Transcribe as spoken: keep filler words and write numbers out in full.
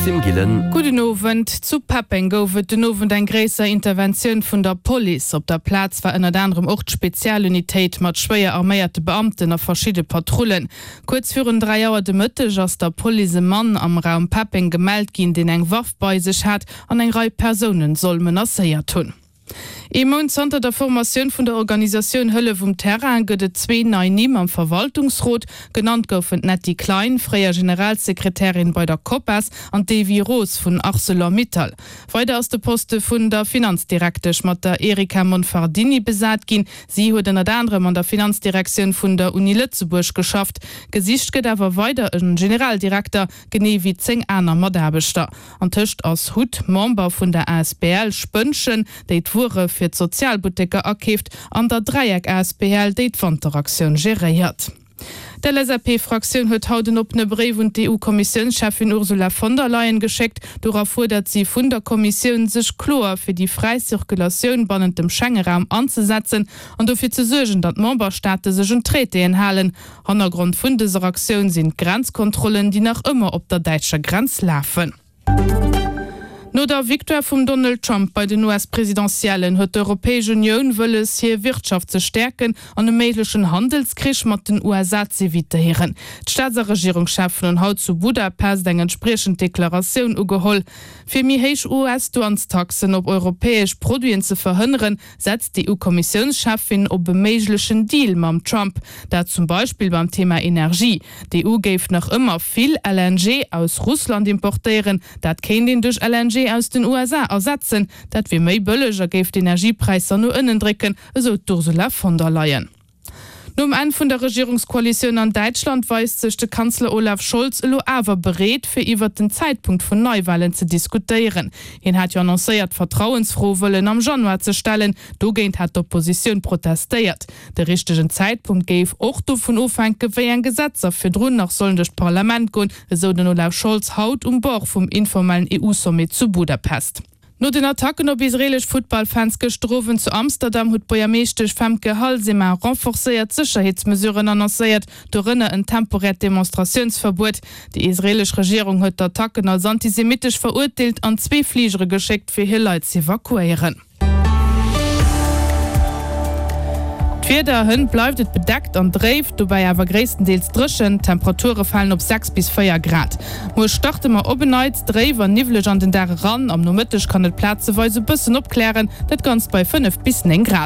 Maxime Gillen. Gudden Owend. Zu Peppeng gouf et den Owend eng gréisser Interventioun vun der Police. Op der Plaz war ënnert anerem och d'Spezialunitéit mat schwéier arméierte Beamten a verschidde Patrullen. Kuerz virun dräi Auer de Mëtteg ass der Police e Mann am Raum Peppeng gemellt ginn, deen eng Waff bei sech hat an eng Rei Persounen soll menacéiert hunn. Ee Mount zanter der Formatioun vun der Organisatioun Hëllef um Terrain gëtt et zwee nei Nimm am Verwaltungsrot. Genannt goufen d'Netty Klein, fréier Generalsekretärin bei der COPAS, an d'Evy Roos vun Arcelor Mittal. Weider ass de Poste vun der Finanzdirektesch mat der Erica Monfardini besat ginn. Si huet ënnert anerem an der Finanzdirektioun vun der Uni Lëtzebuerg geschafft. Gesicht gëtt awer weider e Generaldirekter, genee wéi zéng aner Mataarbechter. Antëscht ass hut Member vun der asbl Spënnchen, déi d'Wuere fir d'Sozialbutteker akeeft, an der Dräieck asbl, déi d'Wanteraktioun geréiert. D'LSAP-Fraktioun huet haut en oppene Bréif un d'EU-Kommissiounscheffin Ursula von der Leyen geschéckt. Dora fuerdert si vun der Kommissioun, sech kloer fir déi fräi Zirkulatioun bannent dem Schengeraum anzesetzen an dofir ze suergen, datt d'Memberstaate sech un d'Traitéen halen. Hannergrond vun dëser Aktioun sinn d'Grenzkontrollen, déi nach ëmmer op der däitscher Grenz lafen. No der Victoire vum Donald Trump bei den US-Presidentiellen huet d'Europäesch Unioun wëlles, hir Wirtschaft ze stäerken an e méiglechen Handelskrich mat den USA z'evitéieren. D'Staats a Regierungscheffen hunn haut zu Budapest eng entspriechend Deklaratioun ugeholl. Fir méi héich US-Douanestaxen op europäesch Produiten ze verhënneren, setzt d'EU-Kommissiounscheffin op e méiglechen Deal mam Trump. Dat zum Beispill beim Thema Energie. D'EU géif nach ëmmer vill LNG aus Russland importéieren. Dat kéint een duerch LNG aus den USA ersetzen. Dat wier méi bëlleg a géif d'Energiepräisser no ënnen drécken, esou d'Ursula von der Leyen. Nom Enn vun der Regierungskoalitioun an Däitschland weist sech de Kanzler Olaf Scholz elo awer bereet, fir iwwert den Zäitpunkt vun Neiwalen ze diskutéieren. Hien hat jo annoncéiert, d'Vertrauensfro wëllen am Januar ze stellen. Dogéint hat d'Oppositioun protestéiert. De richtegen Zäitpunkt géif och dovun ofhänken, wéi eng Gesetzer virdrun nach sollen duerch d'Parlament goen, esou den Olaf Scholz haut um Bord vum informellen EU-Sommet zu Budapest. No den Attacken op israeelesch Futtballfans gëschter Owend zu Amsterdam huet d'Buergermeeschtesch Femke Halsema renforcéiert Sécherheetsmesuren annoncéiert, dorënner en temporäert Demonstratiounsverbuet. Déi israeelesch Regierung huet d'Attacken als antisemittesch verurteelt an zwee Fligere geschéckt, fir hir Leit z'evakuéieren. D'Wieder, Hënt bleift et bedeckt an dréif, dobäi awer gréisstendeels dréchen. D'Temperature falen op sechs bis véier Grad. Muer starte mer op en Neits dréif an niwweleg an den Dag eran. Am Nomëtteg kann et plazeweis e bëssen opklären, dat Ganzt bei fënnef bis néng Grad.